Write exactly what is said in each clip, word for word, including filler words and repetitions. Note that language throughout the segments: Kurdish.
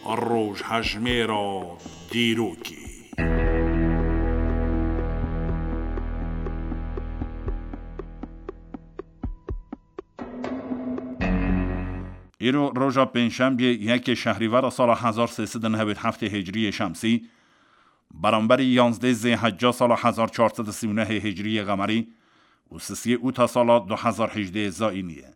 Rojhejmêra dîrokê. Îro roja pêncşembiyê yekê şehrîvera sala hezar sê sed û newêd heftê hicriyê şemsî, beramberî yanzdeh zêhecca sala hezar çar sed û sî û nehê hicriyê qemerî û sisiyê ûta sala du hezar hejdeh zayînî ye.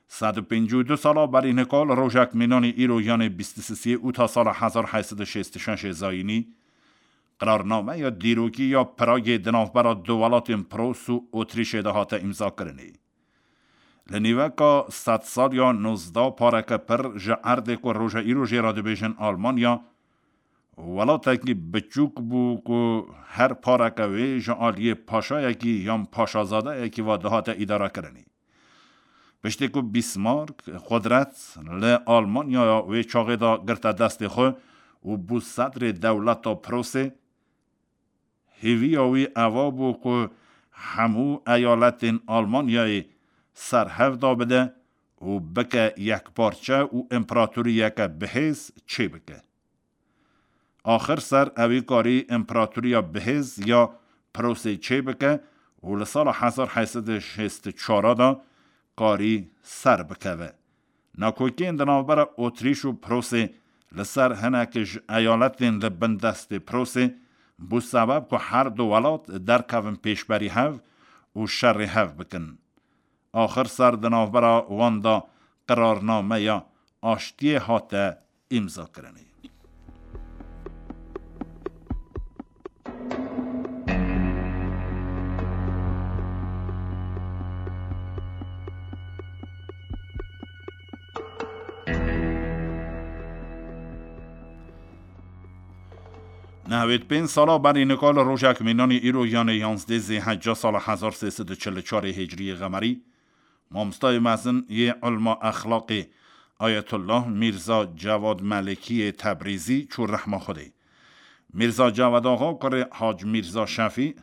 Sed û pêncî û du sala berî nika li rojek mînanî îro, yanê bîst û sisiyê ûta sala hezar heyt sed û şêst û şeş zayînî, qirarnameya dîrokî ya Pragê di navbera du welatên Pros û Otrîşê de hate îmzakirinê. Li nîveka sedsaliya nozdeh pareke pir ji erdê ku roja îro jê re dibêjin Almanya, welatekî biçûk bû ku her pareke wê ji aliyê paşayekî yan paşazadeyekî ve dihate îdarekirinê. Piştî ku Bismarck qudret li Almanyaya wê çaxê de girte destê xwe û bû sedrê dewleta Prosê, hêviya wî eva bû ku hemû eyaletên Almanyayê ser hev da bide û bike yekparçe û împeratoriyeke bihêz çêbike. Axir ser ewî karî împeratoriya bihêz ya Prosê çêbike û li sala hezar heyt sed û şêst û çar de karî ser bikeve. Nakokiyên di navbera Otrîş û Prosê li ser hinek ji eyaletên li bin destê Prosê bû sebeb ku her du welat derkevin pêşberî hev û şerê hev bikin. Axir ser di navbera wan de qirarnameya aştiyê hate îmzakirinê. Nehwêd pênc sala berî nika li rojek mînanî îro, yanê yanzdeh zêhecca sala hezar sê sed û çil û çarê hicriyê qemerî, mamostayê mezin yê ilma exlaqê Ayetullah Mîrza Cevad Melikî yê Tebrîzî çû rehma Xwedê. Mîrza Cevad Axa kurê Hac Mîrza Şefî,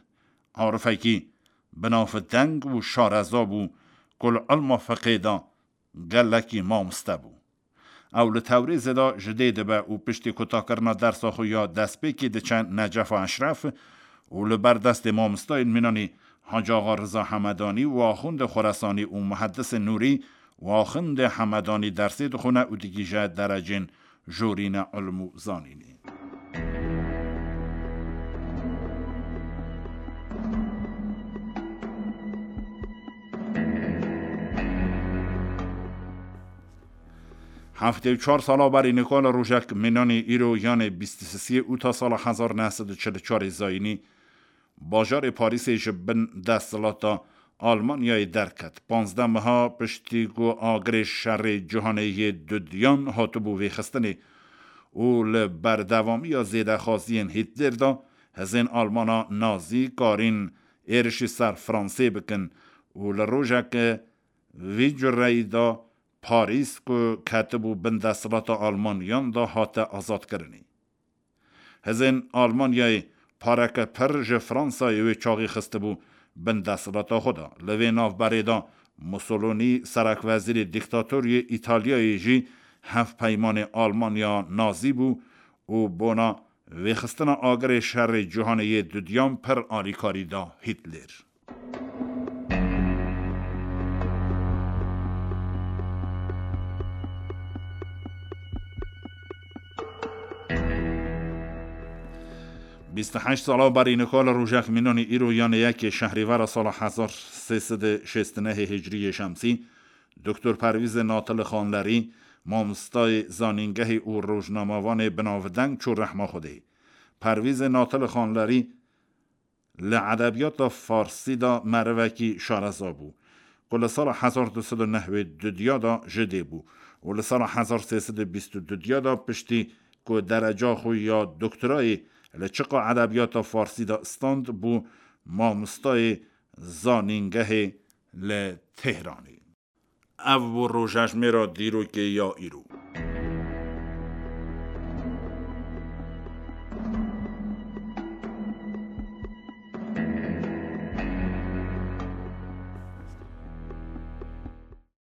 arifekî binavdeng û şareza bû ku li ilma fiqê de gelekî mamoste bû. Ew li Tewrêzê de ji dê dibe û piştî kutakirina dersa xwe ya destpêkê diçe Necefa Eşref û li ber destê mamostayên mînanî Hacî Axa Riza Hemedanî û Axundê Xoresanî û Muhedisê Nûrî û Axundê Hemedanî dersê dixwine û digihîje derecên jorîne ilm û zanînê. Heftê û çar sala berî nika li rojek mînanî îro, yanê bîst û sisiyê ûta sala hezar neh sed û çil û çarê zayînî, bajarê Parîsê ji bin desthilata Almanyayê derket. Panzdeh meha piştî ku agirê şerê cîhanê yê dudiyan hatibû vêxistinê û li berdewamiya zêdexwaziyên Hîtler de hizên Almana nazî karîn êrişî ser Fransê bikin û li rojeke vî cureyî de Parîs ku ketibû bin desthilata Almaniyan de hate azadkirinê. Hizên Almanyayê pareke pir ji Fransayê wê çaxî xistibû bin desthilata xwe de. Li vê navberê de Mussolini, serekwezîrê dîktator yê Îtalyayê jî hevpeymanê Almanya nazî bû û bona vêxistina agirê şerê cîhanê yê dudiyan pir alîkarî da Hîtler. Bîst û heşt sala berî nika li rojek mînanî îro, yanê yekê şehrîvera sala hezar sê sed û şêst û nehê hicriyê şemsî, Doktor Pervîzê Natili Xanlerî, mamostayê zanîngehê û rojnamevanê binavdeng çû rehma Xwedê. Pervîzê Natili Xanlerî li edebiyata farsî de merivekî şareza bû, ku li sala hezar du sed û newêd û dudiya de ji dê bû û li sala hezar sê sed û bîst û dudiya de piştî ku dereca xwe ya doktorayê li çiqa edebiyata farsî de stand, bû mamostayê zanîngehê li Tehranê. Ev bû rojejmêra dîrokê ya îro.